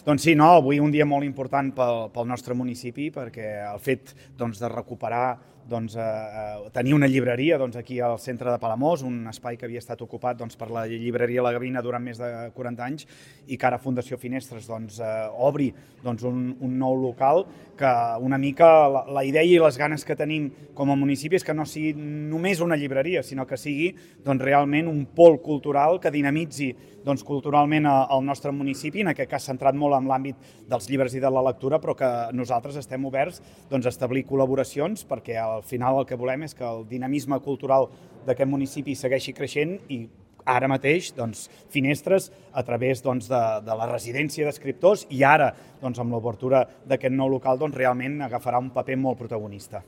Doncs sí, no, avui un dia molt important pel nostre municipi perquè el fet de recuperar tenir una llibreria aquí al centre de Palamós, un espai que havia estat ocupat per la llibreria La Gavina durant més de 40 anys i que ara Fundació Finestres obri un nou local, que una mica la idea i les ganes que tenim com a municipi és que no sigui només una llibreria, sinó que sigui realment un pol cultural que dinamitzi culturalment el nostre municipi, en aquest cas centrat molt en l'àmbit dels llibres i de la lectura, però que nosaltres estem oberts a establir col·laboracions perquè al final el que volem és que el dinamisme cultural d'aquest municipi segueixi creixent i ara mateix Finestres, a través de la residència d'escriptors i ara amb l'obertura d'aquest nou local realment agafarà un paper molt protagonista.